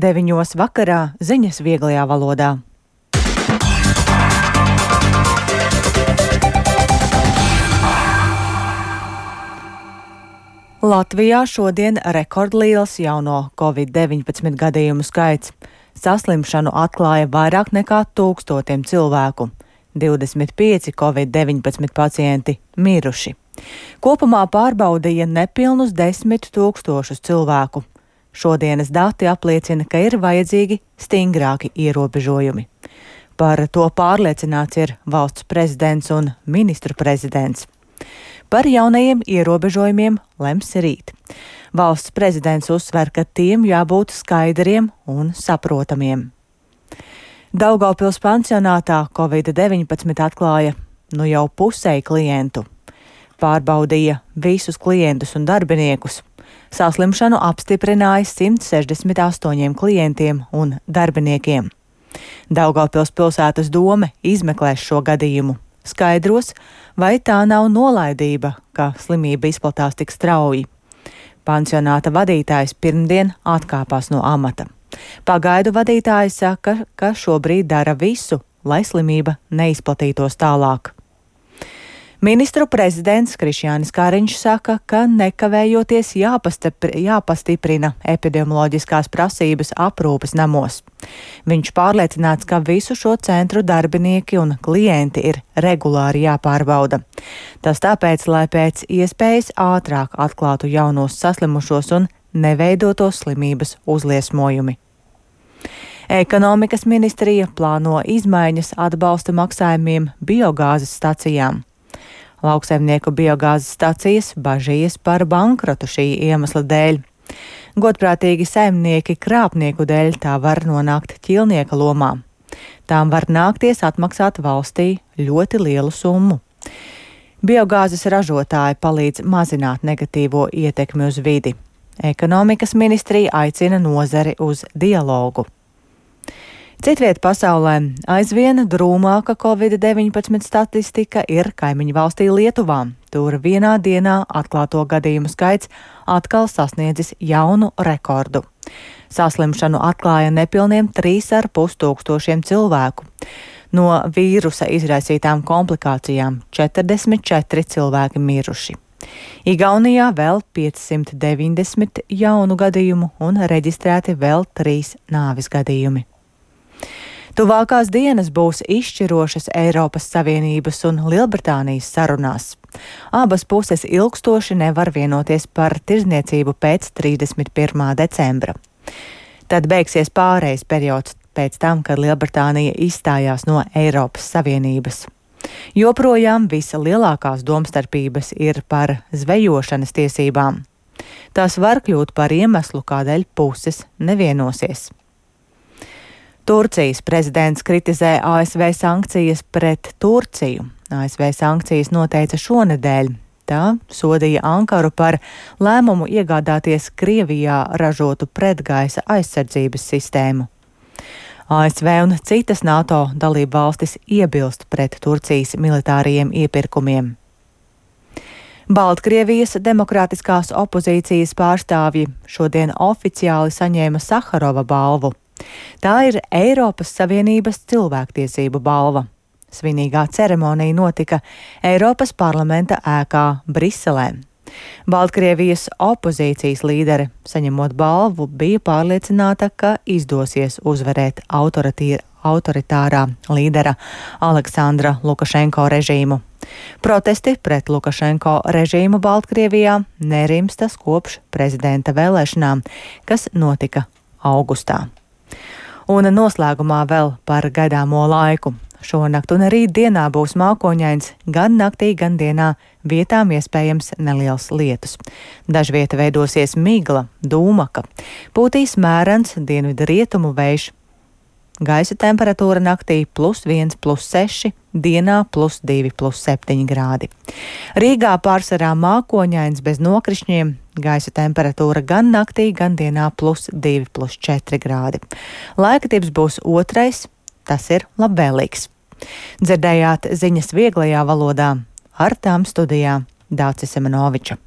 9 vakarā ziņas vieglajā valodā. Latvijā šodien rekordliels jauno Covid-19 gadījumu skaits. Saslimšanu atklāja vairāk nekā 1000 cilvēku. 25 Covid-19 pacienti miruši. Kopumā pārbaudīja nepilnus 10 000 cilvēku. Šodienas dati apliecina, ka ir vajadzīgi stingrāki ierobežojumi. Par to pārliecināts ir valsts prezidents un ministru prezidents. Par jaunajiem ierobežojumiem lems rīt. Valsts prezidents uzsver, ka tiem jābūt skaidriem un saprotamiem. Daugavpils pansionātā Covid-19 atklāja jau pusēji klientu. Pārbaudīja visus klientus un darbiniekus. Saslimšanu apstiprināja 168 klientiem un darbiniekiem. Daugavpils pilsētas dome izmeklēs šo gadījumu. Skaidros, vai tā nav nolaidība, ka slimība izplatās tik strauji. Pansionāta vadītājs pirmdien atkāpās no amata. Pagaidu vadītājs saka, ka šobrīd dara visu, lai slimība neizplatītos tālāk. Ministru prezidents Krišjānis Kariņš saka, ka nekavējoties jāpastiprina epidemioloģiskās prasības aprūpes namos. Viņš pārliecināts, ka visu šo centru darbinieki un klienti ir regulāri jāpārbauda. Tas tāpēc, lai pēc iespējas ātrāk atklātu jaunos saslimušos un neveidotos slimības uzliesmojumi. Ekonomikas ministrija plāno izmaiņas atbalsta maksājumiem biogāzes stacijām. Lauksaimnieku biogāzes stacijas bažījies par bankrotu šī iemesla dēļ. Godprātīgi saimnieki krāpnieku dēļ tā var nonākt ķīlnieka lomā. Tām var nākties atmaksāt valstī ļoti lielu summu. Biogāzes ražotāji palīdz mazināt negatīvo ietekmi uz vidi. Ekonomikas ministrija aicina nozari uz dialogu. Citviet pasaulē aizvien drūmāka Covid-19 statistika ir kaimiņu valstī Lietuvā. Tur vienā dienā atklāto gadījumu skaits atkal sasniedzis jaunu rekordu. Saslimšanu atklāja nepilniem 3500 cilvēku. No vīrusa izraisītām komplikācijām 44 cilvēki miruši. Igaunijā vēl 590 jaunu gadījumu un reģistrēti vēl 3 nāves gadījumi. Tuvākās dienas būs izšķirošas Eiropas Savienības un Lielbritānijas sarunās. Abas puses ilgstoši nevar vienoties par tirdzniecību pēc 31. decembra. Tad beigsies pārejas periods pēc tam, kad Lielbritānija izstājās no Eiropas Savienības. Joprojām vislielākās domstarpības ir par zvejošanas tiesībām. Tās var kļūt par iemeslu, kādēļ puses nevienosies. Turcijas prezidents kritizē ASV sankcijas pret Turciju. ASV sankcijas noteica šonedēļ. Tā sodīja Ankaru par lēmumu iegādāties Krievijā ražotu pretgaisa aizsardzības sistēmu. ASV un citas NATO dalību valstis iebilst pret Turcijas militārajiem iepirkumiem. Baltkrievijas demokrātiskās opozīcijas pārstāvji šodien oficiāli saņēma Saharova balvu. Tā ir Eiropas Savienības cilvēktiesību balva. Svinīgā ceremonija notika Eiropas parlamenta ēkā Briselē. Baltkrievijas opozīcijas līdere, saņemot balvu, bija pārliecināta, ka izdosies uzvarēt autoritārā līdera Aleksandra Lukašenko režīmu. Protesti pret Lukašenko režīmu Baltkrievijā nerimstas kopš prezidenta vēlēšanām, kas notika augustā. Un noslēgumā vēl par gaidāmo laiku. Šonakt un rīt dienā būs mākoņains, gan naktī, gan dienā vietām iespējams neliels lietus. Dažvieta veidosies migla, dūmaka, pūtīs mērens dienvidu rietumu vējš. Gaisa temperatūra naktī +1, +6, dienā +2, +7 grādi. Rīgā pārsvarā mākoņains bez nokrišņiem, gaisa temperatūra gan naktī, gan dienā +2, +4 grādi. Laikatips būs otrais, tas ir labvēlīgs. Dzirdējāt ziņas vieglajā valodā, ar tām studijā Dācis Semenoviča.